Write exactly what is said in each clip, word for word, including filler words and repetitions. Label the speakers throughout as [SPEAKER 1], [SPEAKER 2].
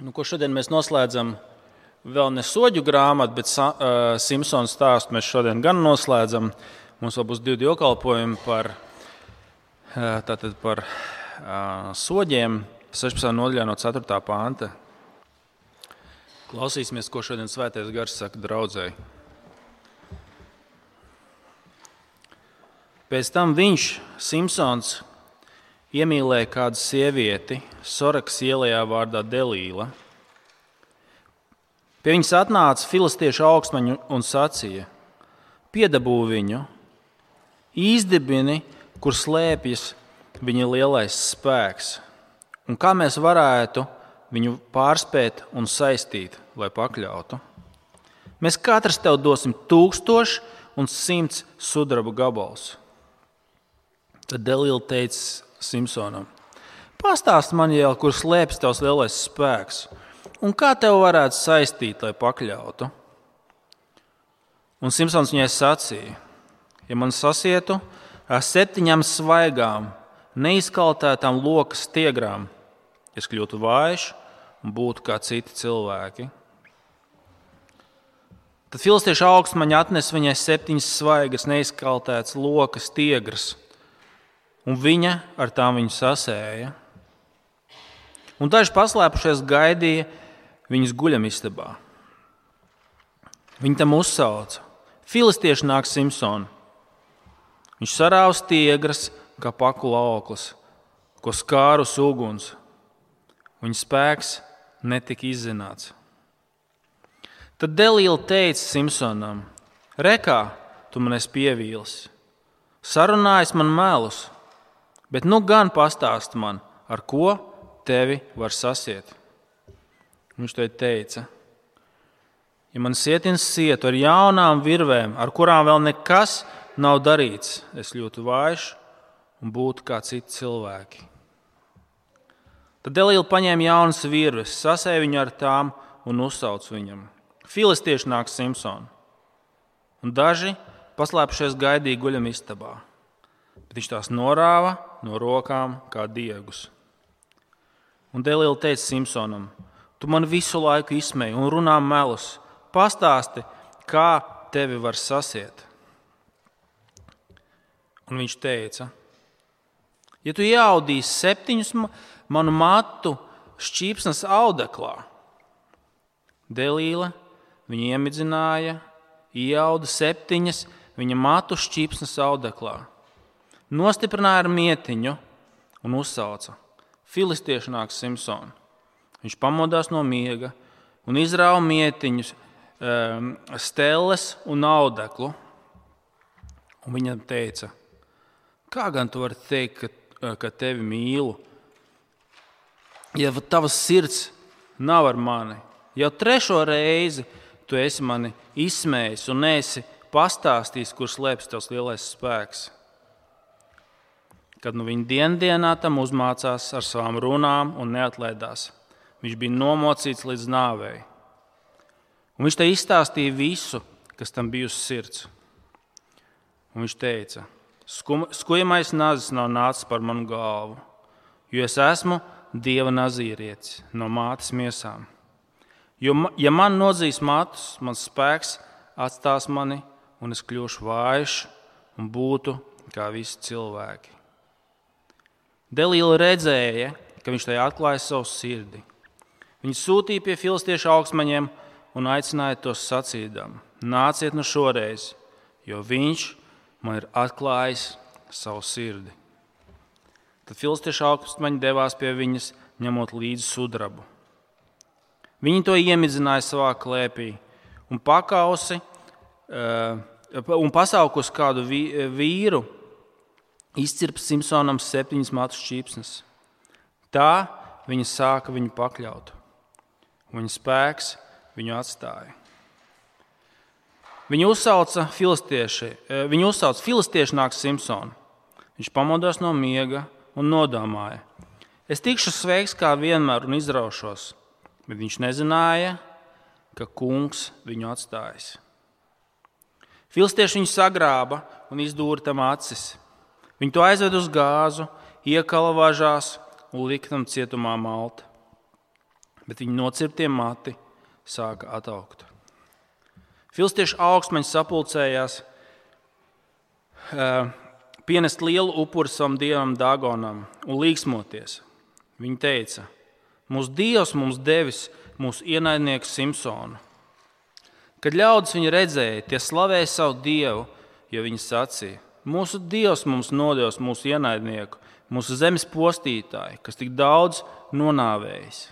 [SPEAKER 1] Nu, ko šodien mēs noslēdzam vēl ne soģu grāmatu, bet uh, Simpsona stāstu mēs šodien gan noslēdzam. Mums vēl būs divi dievkalpojumi par, uh, tātad par uh, soģiem, sešpadsmitajā nodaļā no ceturtā panta. Klausīsimies, ko šodien Svētais Gars saka draudzei. Pēc tam viņš, Simpsons, iemīlēja kādu sievieti Sorakas ielā vārdā Delīla. Pie viņas atnāca filistiešu augstmaņi un sacīja: piedabū viņu, izdibini, kur slēpjas viņa lielais spēks, un kā mēs varētu viņu pārspēt un saistīt, lai pakļautu. Mēs katrs tev dosim tūkstoši un simts sudraba gabals. Tad Delīla teica Simpsonam: pastāsti man jau, kur slēpjas tavs lielais spēks, un kā tev varētu saistīt, lai pakļautu. Un Simpsons viņai sacīja: ja man sasietu ar septiņām svaigām, neizkaltētām lokas stiegrām, es kļūtu vājš un būtu kā citi cilvēki. Tad filistiešu augstmaņi atnesa viņai septiņas svaigas, neizkaltētas lokas stiegras, un viņa ar tām viņu sasēja. Un daži paslēpušies gaidīja viņas guļamistabā. Viņi tam uzsauca: filistieši nāk Simpsonu. Viņš sarāva stiegras kā paku lauklis, ko skārus uguns. Viņa spēks netika izzināts. Tad Delīla teica Simpsonam: rekā, tu man esi pievīlis, sarunājis man melus, bet nu gan pastāsti man, ar ko tevi var sasiet. Viņš tai teica: ja man sietins sietu ar jaunām virvēm, ar kurām vēl nekas nav darīts, es kļūtu vājš un būtu kā citi cilvēki. Tad Delīla paņēma jaunas virves, sasēja viņu ar tām un uzsauc viņam: filistieši nāk Simpsonu. Un daži paslēpušies gaidīja guļamistabā, bet viņš tās norāva no rokām kā diegus. Un Delīla teica Simpsonam: tu man visu laiku izsmeji un runā melus. Pastāsti, kā tevi var sasiet. Un viņš teica: ja tu ieaudīsi septiņus manu matu šķīpsnas audeklā. Delīla viņu iemidzināja, ieauda septiņas viņa matu šķīpsnas audeklā. Nostiprināja ar mietiņu un uzsauca: filistieši nāk Simpsonu. Viņš pamodās no miega un izrāva mietiņus, stelles un audeklu. Un viņam teica: kā gan tu vari teikt, ka, ka tevi mīlu, ja tavas sirds nav ar mani? Jau trešo reizi tu esi mani izsmējis un neesi pastāstījis, kur slēpjas tavs lielais spēks. Kad nu viņa diendienā tam uzmācās ar savām runām un neatlaidās, viņš bija nomocīts līdz nāvei. Un viņš te izstāstīja visu, kas tam bija uz sirds. Un viņš teica: skujamais nazis nav nācis par manu galvu, jo es esmu Dieva nazīrietis no mātes miesām. Jo, ja man nozīs matus, mans spēks atstās mani, un es kļūšu vājš un būtu kā visi cilvēki. Delīla redzēja, ka viņš tai atklāja savu sirdi. Viņa sūtīja pie filistiešu augstmaņiem un aicināja tos sacīdam: nāciet nu šoreiz, jo viņš man ir atklājis savu sirdi. Tad filistiešu augstmaņi devās pie viņas, ņemot līdzi sudrabu. Viņi to iemidzināja savā klēpī un pakausi un pasaukus kādu vīru izcirpt Simpsonam septiņas matu šķīpsnes. Tā viņa sāka viņu pakļaut. Viņa spēks viņu atstāja. Viņu uzsauca filistieši, viņu uzsauca filistieši nāk Simpsonu. Viņš pamodās no miega un nodomāja: es tikšu sveiks kā vienmēr un izraušos, bet viņš nezināja, ka kungs viņu atstājis. Filistieši viņu sagrāba un izdūra tam acis. Viņi to aizved uz gāzu, iekala važās un lika tam cietumā malta. bet viņa nocirptie mati sāka ataugt. Filistiešu augstmaņi sapulcējās, pienest lielu upuri savam dievam Dagonam un līksmoties. Viņi teica: mūsu dievs mums devis mūsu ienaidnieku Simsonu. Kad ļaudis viņu redzēja, tie slavēja savu dievu, jo viņi sacīja: mūsu dievs mums nodevis mūsu ienaidnieku, mūsu zemes postītāju, kas tik daudz nonāvējis.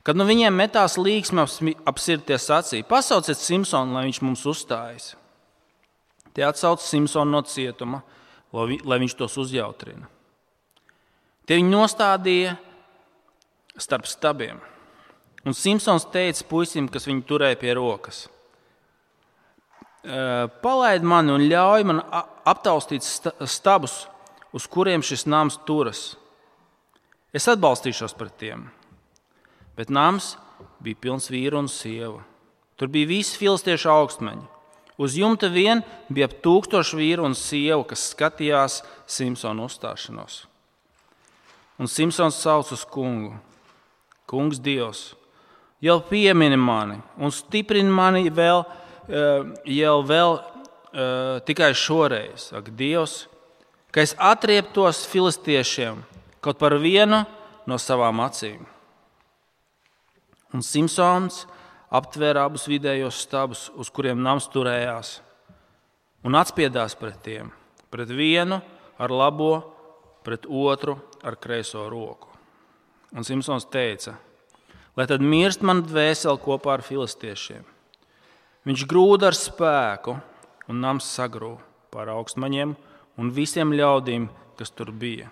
[SPEAKER 1] Kad nu viņiem metās līksme ap sirdi, tie sacīja: pasauciet Simsonu, lai viņš mums uzstājas. Tie atsauca Simsonu no cietuma, lai viņš tos uzjautrina. Tie viņu nostādīja starp stabiem. Un Simsons teica puisim, kas viņu turēja pie rokas: palaid mani un ļauj man aptaustīt stabus, uz kuriem šis nams turas. Es atbalstīšos pret tiem. Bet nams bija pilns vīru un sievu. Tur bija visi filistiešu augstmeņi. Uz jumta vien bija ap tūkstošu vīru un sievu, kas skatījās Simsona uzstāšanos. Un Simsons sauc uz kungu: kungs Dievs, jau piemini mani un stiprini mani vēl, jau vēl tikai šoreiz, ak Dievs, ka es atrieptos filistiešiem kaut par vienu no savām acīm. Un Simsons aptvēra abus vidējos stabus, uz kuriem nams turējās, un atspiedās pret tiem, pret vienu ar labo, pret otru ar kreiso roku. Un Simsons teica: lai tad mirst man dvēseli kopā ar filistiešiem. Viņš grūda ar spēku, un nams sagrūva pār augstmaņiem un visiem ļaudīm, kas tur bija.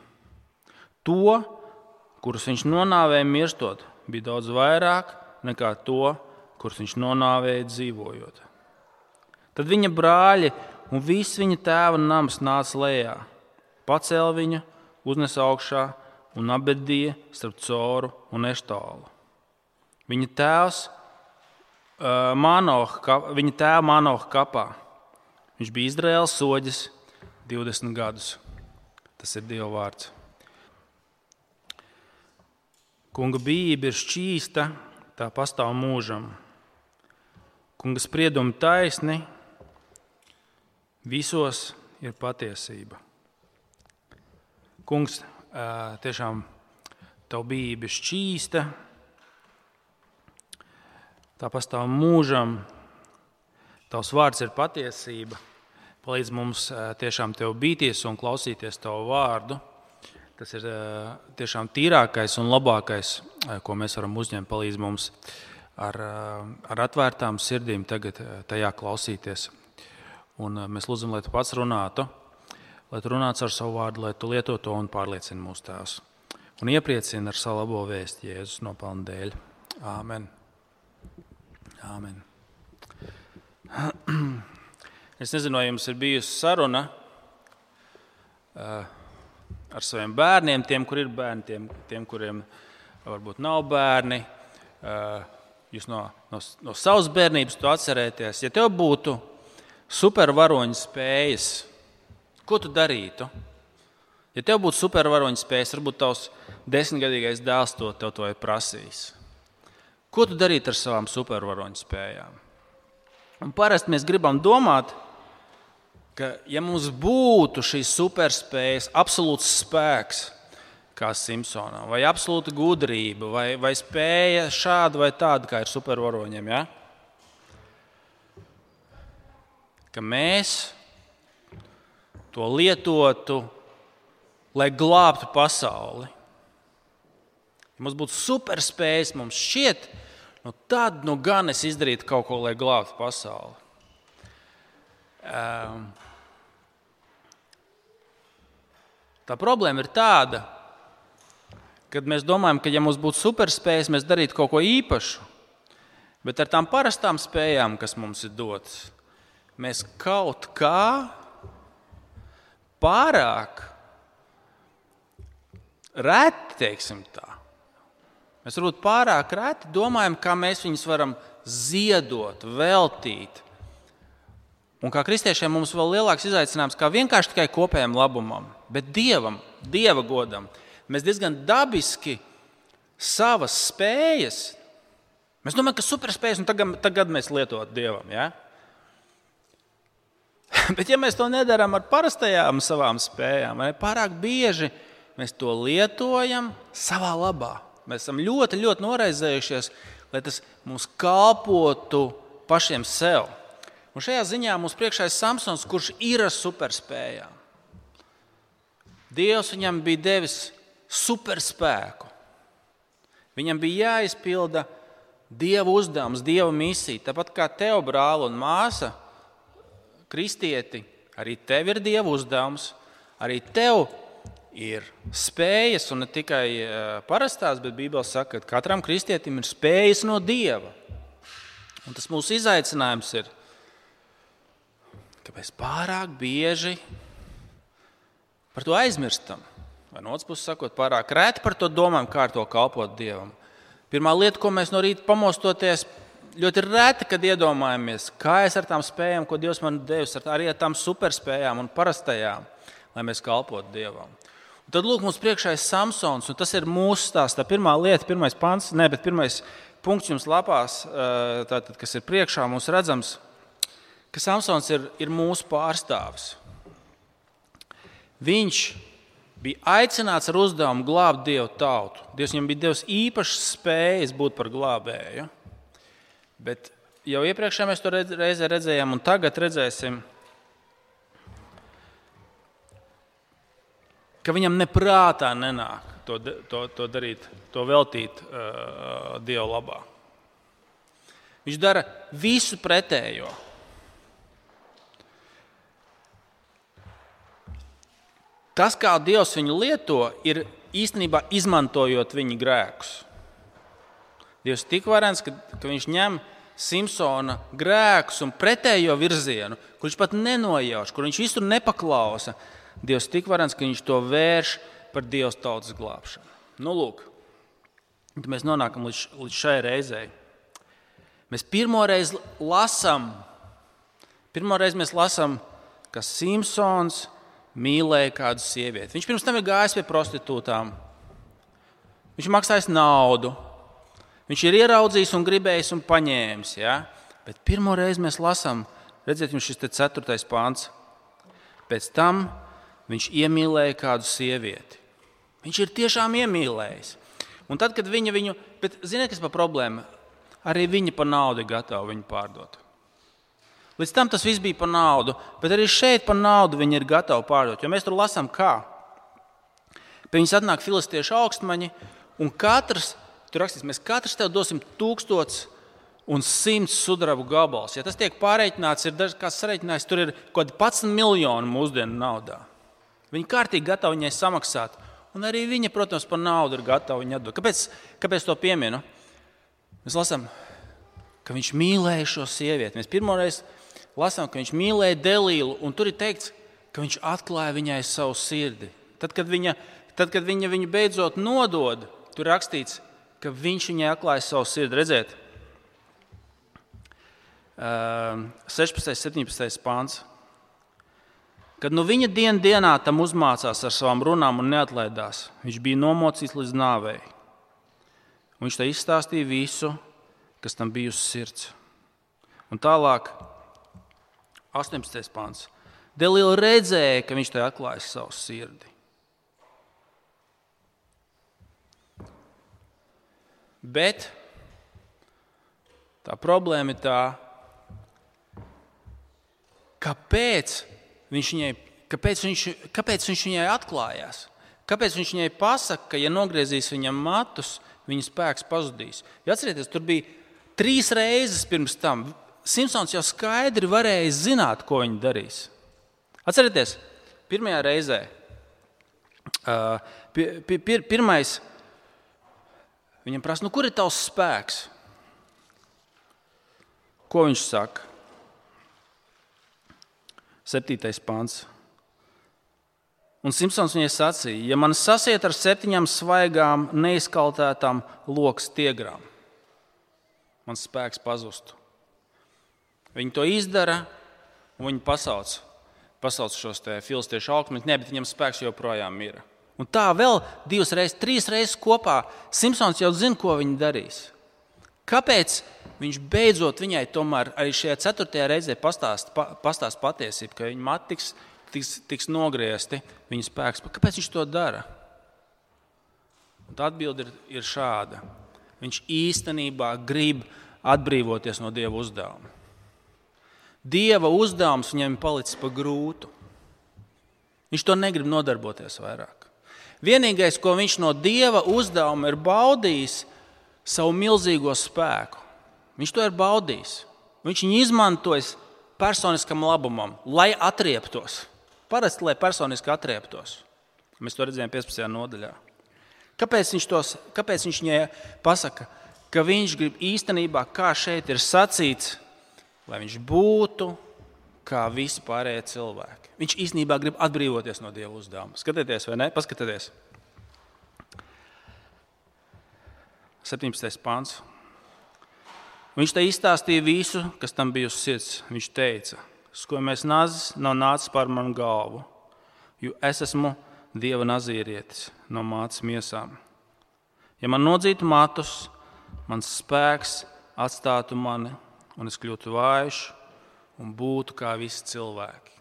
[SPEAKER 1] To, kurus viņš nonāvēja mirstot, bija daudz vairāk nekā to, kurus viņš nonāvēja dzīvojot. Tad viņa brāļi un viss viņa tēva nams nāca lejā, pacēla viņu, uznesa augšā un apbedīja starp Coru un Eštālu. Viņa tēvs uh, Mānoha, viņa tēva Mānoha kapā. Viņš bija Izraēlas soģis divdesmit gadus. Tas ir Dieva vārds. Kunga bijība ir šķīsta, tā pastāv mūžam. Kunga spriedumi taisni, visos ir patiesība. Kungs, tiešām tavu bijība ir šķīsta, tā pastāv mūžam, tavs vārds ir patiesība. Palīdz mums tiešām tev bīties un klausīties tavu vārdu. Tas ir tiešām tīrākais un labākais, ko mēs varam uzņemt. Palīdz mums ar, ar atvērtām sirdīm tagad tajā klausīties. Un mēs lūdzam, lai tu pats runātu, lai tu runātu ar savu vārdu, lai tu lieto to un pārliecini mūsu tēvs. Un iepriecini ar savu labo vēsti Jēzus nopelnu dēļ. Āmen. Āmen. Es nezinu, vai jums ir bijusi saruna ar saviem bērniem, tiem, kur ir bērni, tiem, tiem kuriem varbūt nav bērni. Jūs no, no, no savas bērnības to atcerēties. Ja tev būtu supervaroņu spējas, ko tu darītu? Ja tev būtu supervaroņu spējas, varbūt tavs desmitgadīgais dēls to tev to ir prasījis. Ko tu darītu ar savām supervaroņu spējām? Un parasti mēs gribam domāt, ka ja mums būtu šīs superspējas, absolūts spēks, kā Simsonam, vai absolūta gudrība, vai, vai spēja šāda vai tāda, kā ir supervaroņiem, ja? Ka mēs to lietotu, lai glābtu pasauli. Ja mums būtu superspējas, mums šķiet, nu tad nu gan es izdarītu kaut ko, lai glābtu pasauli. Um, tā problēma ir tāda, kad mēs domājam, ka ja mums būtu superspējas, mēs darītu kaut ko īpašu, bet ar tām parastām spējām, kas mums ir dotas, mēs kaut kā pārāk reti, teiksim tā. Mēs varbūt pārāk reti domājam, kā mēs viņus varam ziedot, veltīt. Un kā kristiešiem mums vēl lielāks izaicinājums, kā vienkārši tikai kopējam labumam, bet Dievam, Dieva godam. Mēs diezgan dabiski savas spējas, mēs domājam, ka superspējas, un tagad, tagad mēs lietot Dievam. Ja? Bet ja mēs to nedarām ar parastajām savām spējām, vai pārāk bieži mēs to lietojam savā labā. Mēs esam ļoti, ļoti noraizējušies, lai tas mums kalpotu pašiem sev. Un šajā ziņā mums priekšā ir Samsons, kurš ir ar superspējām. Dievs viņam bija devis superspēku. Viņam bija jāizpilda Dieva uzdevums, Dieva misija. Tāpat kā tev, brāl un māsa, kristieti, arī tev ir Dieva uzdevums, arī tev ir spējas, un ne tikai parastās, bet Bībele saka, ka katram kristietim ir spējas no Dieva. Un tas mūsu izaicinājums ir, ka mēs pārāk bieži par to aizmirstam. Vai no otras puses sakot, pārāk reti par to domājam, kā ar to kalpot Dievam. Pirmā lieta, ko mēs no rīta pamostoties, ļoti reti, kad iedomājamies, kā es ar tām spējām, ko Dievs man devis, arī ar tām superspējām un parastajām, lai mēs kalpotu Dievam. Un tad lūk, mums priekšā ir Samsons, un tas ir mūsu stāsts. Tā pirmā lieta, pirmais pants, ne, bet pirmais punkts jums lapās, tātad, kas ir priekšā, mums redzams, ka Samsons ir, ir mūsu pārstāvis. Viņš bija aicināts ar uzdevumu glābt Dievu tautu. Dievs viņam bija devis īpašas spējas būt par glābēju. Bet jau iepriekšējā mēs to reizē redzējām, un tagad redzēsim, ka viņam neprātā nenāk to, to, to darīt, to veltīt uh, Dievu labā. Viņš dara visu pretējo. Tas, kā Dievs viņu lieto, ir īstenībā izmantojot viņa grēkus. Dievs ir tik varens, ka, ka viņš ņem Samsona grēkus un pretējo virzienu, kur viņš pat nenojauš, kur viņš visur nepaklausa. Dievs ir tik varens, ka viņš to vērš par Dievs tautas glābšanu. Nu, lūk, mēs nonākam līdz, līdz šai reizei. Mēs pirmoreiz lasām, pirmoreiz mēs lasām, ka Samsons mīlēja kādu sievieti. Viņš pirms tam ir gājis pie prostitūtām. Viņš maksājis naudu. Viņš ir ieraudzījis un gribējis un paņēmis. Ja? Bet pirmo reizi mēs lasām, redziet, jums šis te ceturtais pants. Pēc tam viņš iemīlēja kādu sievieti. Viņš ir tiešām iemīlējis. Un tad, kad viņa viņu... Bet ziniet, kas par problēmu? Arī viņa par naudu ir gatava viņu pārdot. Līdz tam tas viss bija par naudu, bet arī šeit par naudu viņi ir gatavi pārdot. Jo mēs tur lasām kā. Pie viņas atnāk filistiešu augstmaņi, un katrs, tur rakstīts, mēs katrs tev dosim tūkstots un simts sudraba gabals. Ja tas tiek pārreikināts, ir dažs kāds sareiķinājis, tur ir kaut kādi padsmit miljoni mūsdienu naudā. Viņi kārtīgi gatavi viņai samaksāt, un arī viņa, protams, par naudu ir gatavi viņai atdot. Kāpēc, kāpēc to pieminu? Mēs lasām, ka viņš mīlēja šo sievieti. Mēs pirmoreiz lasām, ka viņš mīlēja Delīlu, un tur ir teikts, ka viņš atklāja viņai savu sirdi. Tad, kad viņa, tad, kad viņa viņu beidzot nodod, tur rakstīts, ka viņš viņai atklāja savu sirdi. Redziet, sešpadsmitais, septiņpadsmitais pāns. Kad nu viņa dienu dienā tam uzmācās ar savām runām un neatlaidās, viņš bija nomocīts līdz nāvei. Un viņš tā izstāstīja visu, kas tam bija uz sirds. Un tālāk, astoņpadsmitais pāns. Delīla redzēja, ka viņš tai atklājas savu sirdi. Bet tā problēma ir tā, kāpēc viņš viņai, kāpēc viņš, kāpēc viņš viņai atklājās? Kāpēc viņš viņai pasaka, ka ja nogriezīs viņam matus, viņa spēks pazudīs? Ja atcerieties, tur bija trīs reizes pirms tam. Samsons jau skaidri varēja zināt, ko viņa darīs. Atcerieties, pirmajā reizē, uh, pir, pir, pirmais, viņam prasa, nu kur ir tavs spēks? Ko viņš saka? Septītais pants. Un Samsons viņai sacīja, ja man sasiet ar septiņām svaigām, neizkaltētām lokas tiegrām, mans spēks pazustu. Viņi to izdara, un viņi pasauc, pasauc šos te filistiešu augstmaņus. Nē, bet viņam spēks joprojām ir. Un tā vēl divas reizes, trīs reizes kopā Simpsons jau zina, ko viņa darīs. Kāpēc viņš beidzot viņai tomēr arī šajā ceturtajā reizē pastāst, pa, pastāst patiesību, ka viņa mati tiks, tiks, tiks nogriezti, viņa spēks. Kāpēc viņš to dara? Un tā atbilde ir, ir šāda. Viņš īstenībā grib atbrīvoties no Dieva uzdevuma. Dieva uzdevums viņam ir palicis pa grūtu. Viņš to negrib nodarboties vairāk. Vienīgais, ko viņš no Dieva uzdevuma ir baudījis, savu milzīgo spēku. Viņš to ir baudījis. Viņš viņu izmantojis personiskam labumam, lai atrieptos. Parasti, lai personiski atrieptos. Mēs to redzējām piecpadsmitajā nodaļā. Kāpēc viņš, tos, kāpēc viņš viņai pasaka, ka viņš grib īstenībā, kā šeit ir sacīts, lai viņš būtu kā visi pārējie cilvēki. Viņš īstenībā grib atbrīvoties no Dieva uzdevuma. Skatieties, vai ne? Paskatieties. septiņpadsmitais pants. Viņš te izstāstīja visu, kas tam bija uz sirds. Viņš teica, skojamais nazis nav nācis pār manu galvu, jo es esmu Dieva nazīrietis no mātes miesām. Ja man nodzītu matus, mans spēks atstātu mani, un es kļūtu vājš un būtu kā visi cilvēki.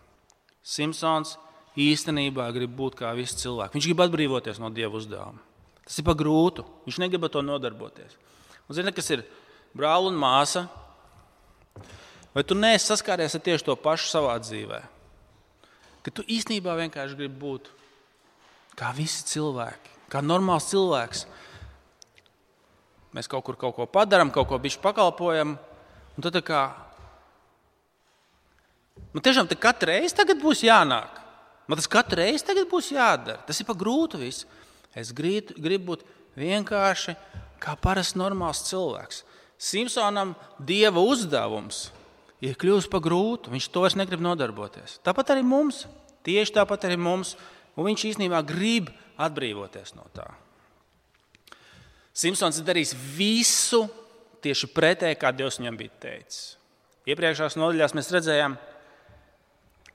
[SPEAKER 1] Simpsons īstenībā grib būt kā visi cilvēki. Viņš grib atbrīvoties no Dieva uzdevuma. Tas ir pa grūtu. Viņš negrib to nodarboties. Un zini, kas ir brāl un māsa? Vai tu neesi saskāries ar tieši to pašu savā dzīvē? Ka tu īstenībā vienkārši gribi būt kā visi cilvēki, kā normāls cilvēks. Mēs kaut kur kaut ko padaram, kaut ko bišķi pakalpojam, un tad tā kā man tiešām te katru reizi tagad būs jānāk. Man tas katru reizi tagad būs jādara. Tas ir pa grūtu viss. Es gribu, gribu būt vienkārši kā parasts normāls cilvēks. Simpsonam Dieva uzdevums ir kļūst pa grūtu. Viņš to vairs negrib nodarboties. Tāpat arī mums. Tieši tāpat arī mums. Un viņš īstenībā grib atbrīvoties no tā. Simpsons ir darījis visu tieši pretēji, kā Dievs viņam bija teicis. Iepriekšējās nodaļās mēs redzējām,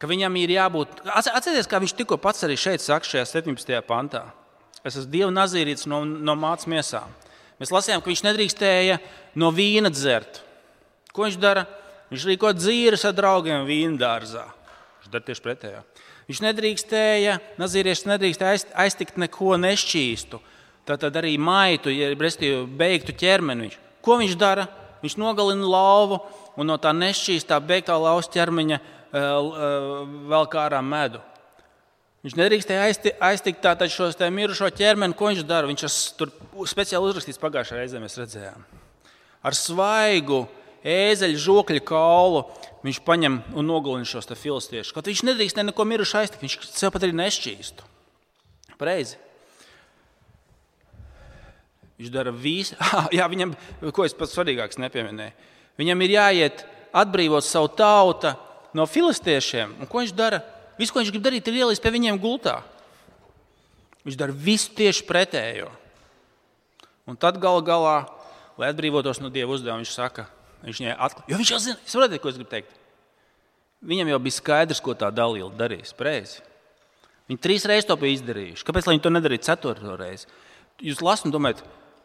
[SPEAKER 1] ka viņam ir jābūt... Atcerieties, kā viņš tikko pats arī šeit saka šajā septiņpadsmitajā pantā. Es esmu Dieva nazīrītis no, no mātes miesām. Mēs lasījām, ka viņš nedrīkstēja no vīna dzert. Ko viņš dara? Viņš rīko dzīves ar draugiem vīna dārzā. Viņš dara tieši pretējā. Viņš nedrīkstēja, nazīrietis nedrīkstēja aiztikt neko nešķīstu. Tātad arī maitu, ja restīvi beigtu ķermeni. Ko viņš dara? Viņš nogalina lauvu un no tā nešķīstā beigtā lauvas ķermeņa vēl kā ārā medu. Viņš nedrīkstēja aiztikt tātad šos te mirušo ķermeni. Ko viņš dara? Viņš tur speciāli uzrakstīts pagājušajā reizē, mēs redzējām. Ar svaigu ēzeļu žokļu kaulu viņš paņem un nogalina šos te filistiešus. Kaut viņš nedrīkstēja neko mirušu aiztikt, viņš sev pat arī nešķīstu. Pareizi. Viņš dara visu. Jā, viņam, ko es pats svarīgāks nepieminēju. Viņam ir jāiet atbrīvot savu tautu no filistiešiem. Un ko viņš dara? Visu, ko viņš grib darīt, ir ielīst pie viņiem gultā. Viņš dara visu tieši pretējo. Un tad gala galā, lai atbrīvotos no Dieva uzdevuma, viņš saka, viņš viņai atklāja. Jo viņš jau zina, es varu ko es gribu teikt. Viņam jau bija skaidrs, ko tā dalīla darīs. Preizi. Viņi trīs reizes to bija izdarījuši. Kāpēc, lai viņi to nedarītu ceturto reizi? Jūs lasat un domājat,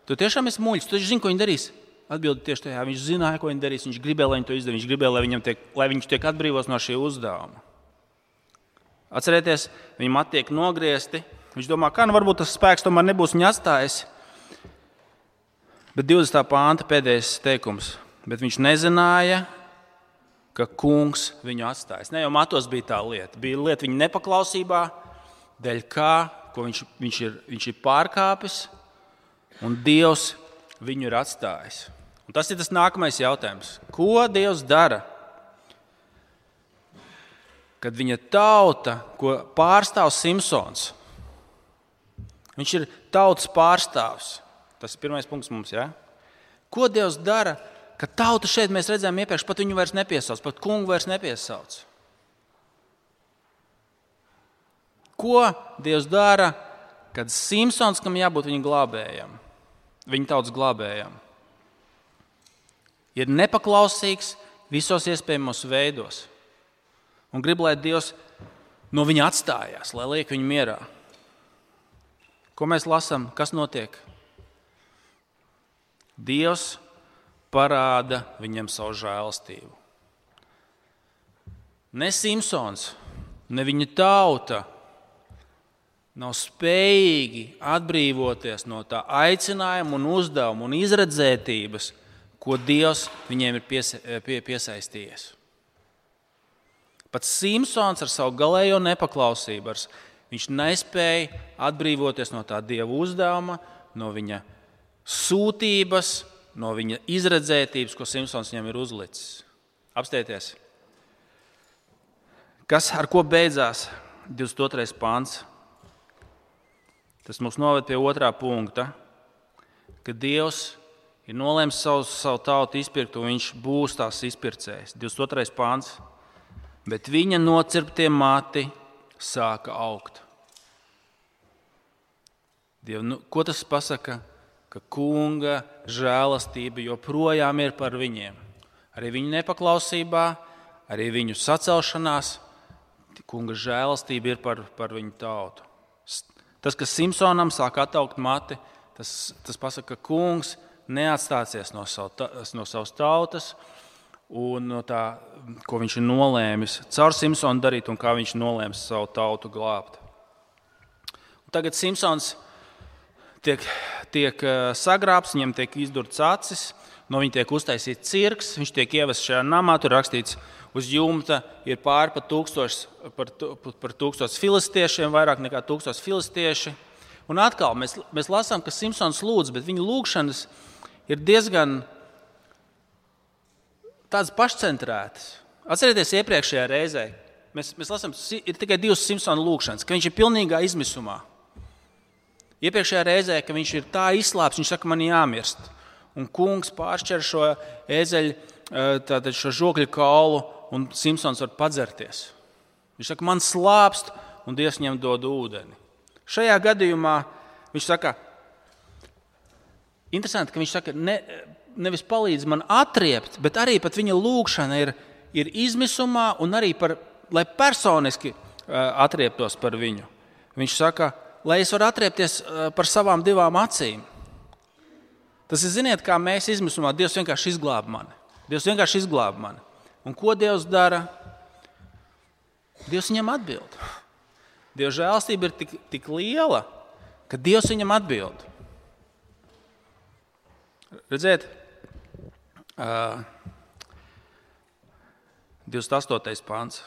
[SPEAKER 1] tu tiešām esi muļķis, tu zini, ko viņi darīs? Atbildi tieši tajā. Viņš zināja, ko viņi darīs. Viņš gribēja, lai viņi to izdarītu. Viņš gribēja, lai, tiek, lai viņš tiek atbrīvos no šī uzdevuma. Atcerieties, viņi mati tiek nogriezti. Viņš domā, kā nu varbūt tas spēks tomēr nebūs viņa atstājis. Bet divdesmitā pānta pēdējais teikums. Bet viņš nezināja, ka kungs viņu atstājis. Ne jau matos bija tā lieta. Bija lieta viņa nepaklausībā, dēļ kā, ko viņš, viņš, ir, viņš ir pārkāpis, un Dievs viņu ir atstājis. Un tas ir tas nākamais jautājums. Ko Dievs dara? Kad viņa tauta, ko pārstāv Simpsons, viņš ir tautas pārstāvs. Tas ir pirmais punkts mums, ja? Ko Dievs dara, kad tauta šeit mēs redzējām iepriekš, pat viņu vairs nepiesauc, pat kungu vairs nepiesauc? Ko Dievs dara, kad Simpsons, kam jābūt viņa glābējam, viņa tautas glābējam, ir nepaklausīgs visos iespējamos veidos un grib, lai Dievs no viņa atstājās, lai liek viņu mierā? Ko mēs lasām? Kas notiek? Dievs parāda viņam savu žēlastību. Ne Simpsons, ne viņa tauta nav spējīgi atbrīvoties no tā aicinājuma un uzdevuma un izredzētības, ko Dievs viņiem ir piesa, pie, piesaistījies. Pat Simpsons ar savu galējo nepaklausību, ar, viņš nespēja atbrīvoties no tā Dieva uzdevuma, no viņa sūtības, no viņa izredzētības, ko Simpsons viņam ir uzlicis. Apstieties. Kas ar ko beidzās? divdesmit otrais pants. Tas mums noved pie otrā punkta, ka Dievs ir nolēmis savu, savu tautu izpirkt, un viņš būs tās izpircējs. divdesmit otrais pants. Bet viņa nocirptie mati sāka augt. Diev, nu, ko tas pasaka? Ka kunga žēlastība joprojām ir par viņiem. Arī viņu nepaklausībā, arī viņu sacelšanās, kunga žēlastība ir par, par viņu tautu. Tas, kas Simpsonam sāk attaukt mati, tas, tas pasaka, ka kungs neatstāsies no, savu, no savas tautas un no tā, ko viņš ir nolēmis caur Simpsonu darīt un kā viņš nolēmis savu tautu glābt. Un tagad Simpsons tiek, tiek sagrābs, viņam tiek izdurts acis, no viņa tiek uztaisīts cirks, viņš tiek ievests šajā namā, tur rakstīts, uz jumta ir pāri par tūkstošs, par, par tūkstošs filistiešiem, vairāk nekā tūkstošs filistieši. Un atkal mēs, mēs lasām, ka Simpsons lūdz, bet viņa lūgšanas ir diezgan tādas pašcentrētas. Atcerieties iepriekšējā reizē, mēs, mēs lasām, ir tikai divas Simpsona lūgšanas, ka viņš ir pilnīgā izmisumā. Iepriekšējā reizē, ka viņš ir tā izslāps, viņš saka, man jāmirst. Un kungs pāršķer šo ēzeļu, tātad šo žokļu kaulu, un Simpsons var padzerties. Viņš saka, man slāpst, un Dievs viņam dod ūdeni. Šajā gadījumā viņš saka, interesanti, ka viņš saka, ne, nevis palīdz man atriept, bet arī pat viņa lūgšana ir, ir izmisumā un arī, par, lai personiski atrieptos par viņu. Viņš saka, lai es varu atriepties par savām divām acīm. Tas ir, ziniet, kā mēs izmisumā, Dievs vienkārši izglāb mani. Dievs vienkārši izglāb mani. Un ko Dievs dara? Dievs viņam atbild. Dieva žēlastība ir tik, tik liela, ka Dievs viņam atbild. Redziet, uh, divdesmit astotais pants.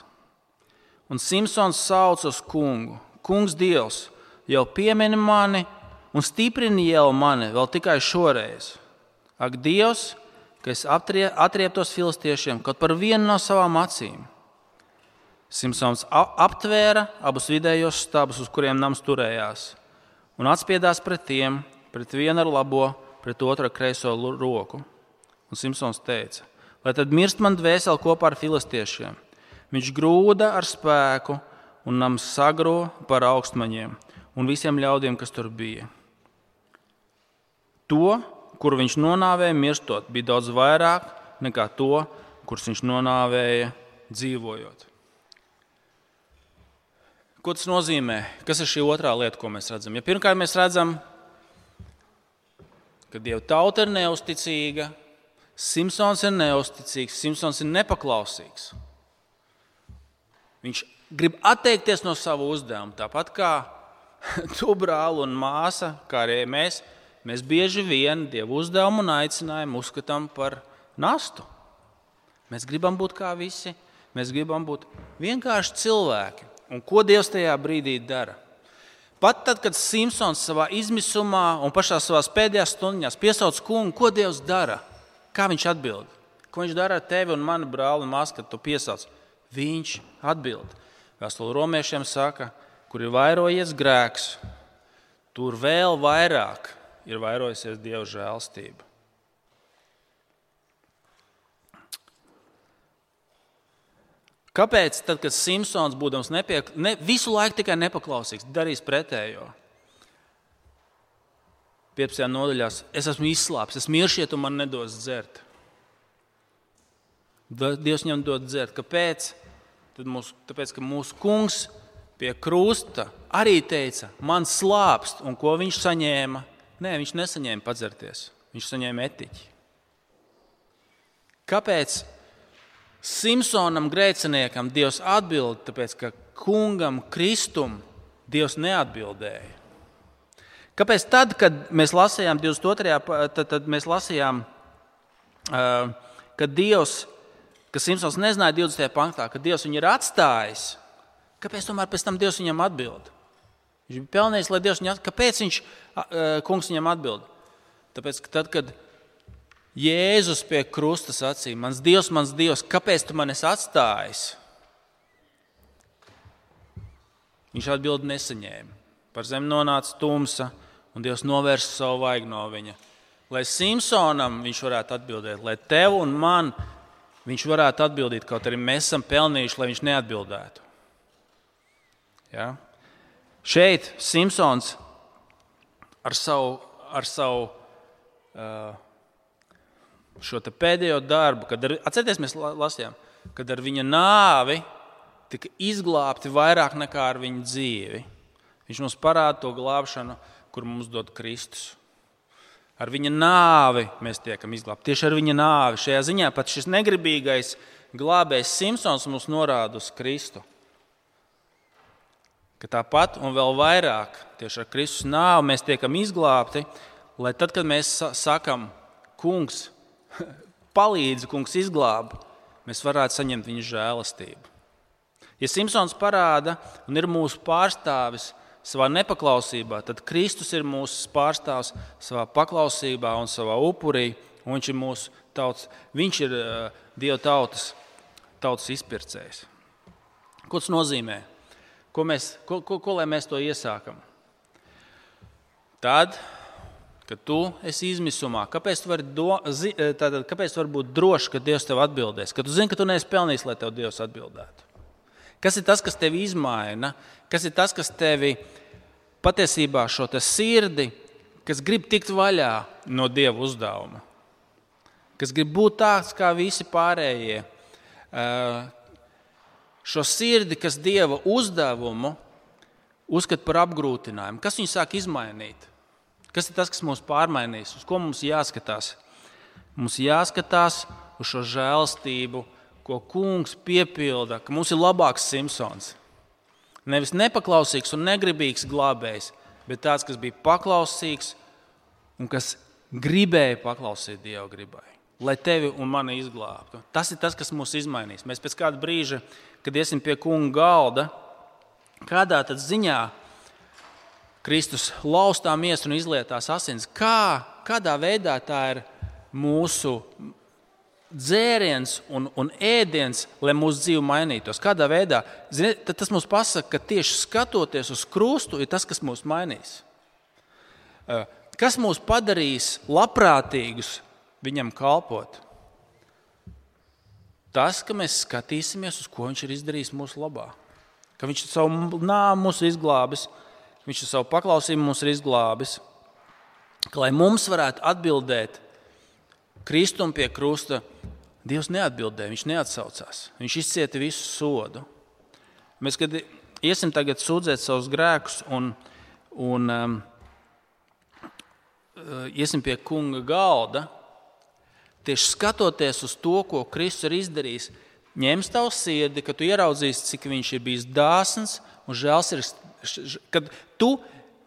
[SPEAKER 1] Un Simpsons sauc uz kungu. Kungs Dievs jau piemini mani un stiprini jau mani vēl tikai šoreiz. Ak, Dievs, ka es atrieptos filistiešiem kaut par vienu no savām acīm. Simpsons aptvēra abus vidējos stabus, uz kuriem nams turējās, un atspiedās pret tiem, pret vienu ar labo, pret otru ar kreiso roku. Un Simpsons teica, lai tad mirst man dvēseli kopā ar filistiešiem. Viņš grūda ar spēku, un nams sagro par augstmaņiem un visiem ļaudiem, kas tur bija. To, kuru viņš nonāvēja mirstot, bija daudz vairāk nekā to, kurus viņš nonāvēja dzīvojot. Ko tas nozīmē? Kas ir šī otrā lieta, ko mēs redzam? Ja pirmkārt mēs redzam, ka Dieva tauta ir neusticīga, Simpsons ir neusticīgs, Simpsons ir nepaklausīgs. Viņš grib atteikties no savu uzdevumu, tāpat kā tu, brāl un māsa, kā arī mēs, mēs bieži vien Dieva uzdevumu un aicinājumu uzskatām par nastu. Mēs gribam būt kā visi, mēs gribam būt vienkārši cilvēki. Un ko Dievs tajā brīdī dara? Pat tad, kad Simpsons savā izmisumā un pašā savās pēdējās stundiņās piesauc kungu, ko Dievs dara? Kā viņš atbild? Ko viņš dara ar tevi un mani brāli un māsu, kad tu piesauc? Viņš atbild. Vēstule romiešiem saka, kur ir vairojies grēks, tur vēl vairāk ir vairojusies Dieva žēlastība. Kāpēc tad, kad Simpsons, būdams nepiek, ne, visu laiku tikai nepaklausīgs, darīs pretējo? piecpadsmitajā nodaļās, es esmu izslāpis, es miršiet un man nedos dzert. Dievs viņam dod dzert. Kāpēc? Tad mūs, tāpēc, ka mūsu kungs pie krusta arī teica, man slāpst, un ko viņš saņēma? Nē, viņš nesaņēma padzerties, viņš saņēma etiķi. Kāpēc Simsonam grēciniekam Dievs atbild? Tāpēc, ka kungam Kristum Dievs neatbildēja. Kāpēc tad, kad mēs lasījām divdesmit otrajā tad, tad mēs lasījām, ka Dievs, ka Simsons nezināja divdesmitajā pantā, ka Dievs viņu ir atstājis, kāpēc tomēr pēc tam Dievs viņam atbild? Viņš bija pelnījis, lai Dievs viņam atbild. Kāpēc viņš, kungs viņam atbild? Tāpēc, ka tad, kad Jēzus pie krusta sacīja, mans Dievs, mans Dievs, kāpēc tu mani esi atstājis? Viņš atbildi nesaņēma. Par zemi nonāca tumsa, un Dievs novērsa savu vaigu no viņa. Lai Simsonam viņš varētu atbildēt, lai tev un man viņš varētu atbildīt, kaut arī mēs esam pelnījuši, lai viņš neatbildētu. Ja? Šeit Simsons ar savu, ar savu uh, šo te pēdējo darbu, kad ar, atcerieties, mēs lasījām, kad ar viņa nāvi tika izglābti vairāk nekā ar viņa dzīvi. Viņš mums parāda to glābšanu, kur mums dod Kristus. Ar viņa nāvi mēs tiekam izglābti. Tieši ar viņa nāvi. Šajā ziņā pat šis negribīgais glābējs Simsons mums norāda uz Kristu. Ka tāpat un vēl vairāk tieši ar Kristus nāvi mēs tiekam izglābti, lai tad, kad mēs sakam, kungs, palīdzi, kungs izglāb, mēs varētu saņemt viņa žēlastību. Ja Simsons parāda un ir mūsu pārstāvis savā nepaklausībā, tad Kristus ir mūsu pārstāvs savā paklausībā un savā upurī, un viņš ir mūsu tautas, viņš ir uh, Dieva tautas, tautas izpircējs. Ko tas nozīmē? Ko, mēs, ko, ko, ko lai mēs to iesākam? Tad, kad tu esi izmisumā, kāpēc tu vari, do, zi, tātad, kāpēc tu vari būt drošs, ka Dievs tev atbildēs? Kad tu zini, ka tu neesi pelnījis, lai tev Dievs atbildētu. Kas ir tas, kas tevi izmaina? Kas ir tas, kas tevi patiesībā šo te sirdi, kas grib tikt vaļā no Dieva uzdevuma? Kas grib būt tāds kā visi pārējie? Šo sirdi, kas Dieva uzdevumu uzskata par apgrūtinājumu. Kas viņu sāk izmainīt? Kas ir tas, kas mūs pārmainīs? Uz ko mums jāskatās? Mums jāskatās uz šo žēlstību, ko kungs piepilda, ka mums ir labāks Simsons. Nevis nepaklausīgs un negribīgs glābējs, bet tāds, kas bija paklausīgs un kas gribēja paklausīt Dieva gribai, lai tevi un mani izglābtu. Tas ir tas, kas mūs izmainīs. Mēs pēc kāda brīža, kad iesim pie kunga galda, kādā tad ziņā Kristus laustā miesu un izlietās asins, kā, kādā veidā tā ir mūsu dzēriens un, un ēdiens, lai mūsu dzīve mainītos. Kādā veidā? Ziniet, tad tas mums pasaka, ka tieši skatoties uz krustu ir tas, kas mūs mainīs. Kas mūs padarīs labprātīgus viņam kalpot? Tas, ka mēs skatīsimies, uz ko viņš ir izdarījis mūsu labā. Ka viņš savu nāvu mūsu izglābis, viņš savu paklausību mūs ir izglābis. Ka, lai mums varētu atbildēt Kristum pie krusta, Dievs neatbildēja, viņš neatsaucās. Viņš izcieta visu sodu. Mēs, kad iesim tagad sūdzēt savus grēkus un, un um, iesim pie kunga galda, tieši skatoties uz to, ko Kristus ir izdarījis, ņems tavu sirdi, ka tu ieraudzīsi, cik viņš ir bijis dāsns un žēlsirdīgs, kad tu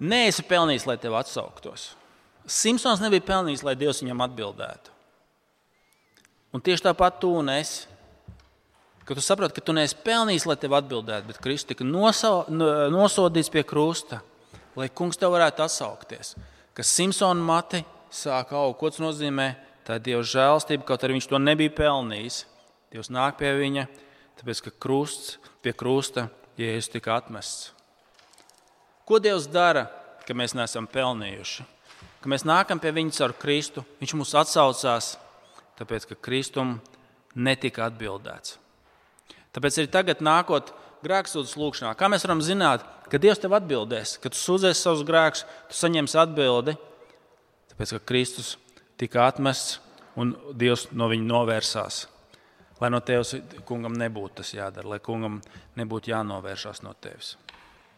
[SPEAKER 1] neesi pelnījis, lai tev atsauktos. Simsons nebija pelnījis, lai Dievs viņam atbildētu. Un tieši tāpat tu un es, ka tu saproti, ka tu neesi pelnījis, lai tev atbildētu, bet Kristus tika nosodīts pie krusta, lai kungs tev varētu atsaukties. Ka Simsona mati sāk augt. Ko tas nozīmē? Tā ir Dieva žēlastība, kaut arī viņš to nebija pelnījis. Dievs nāk pie viņa, tāpēc, ka krusts, pie krusta Jēzus tika atmests. Ko Dievs dara, ka mēs neesam pelnījuši? Ka mēs nākam pie viņa caur Kristu, viņš mūs atsaucās, tāpēc, ka Kristum netika atbildēts. Tāpēc arī tagad nākot grēksūdzes lūkšanā, kā mēs varam zināt, ka Dievs tev atbildēs, ka tu sūdzēsi savus grēkus, tu saņemsi atbildi, tāpēc, ka Kristus tika atmests un Dievs no viņa novērsās. Lai no tevis kungam nebūtu tas jādara, lai kungam nebūtu jānovēršās no tevis.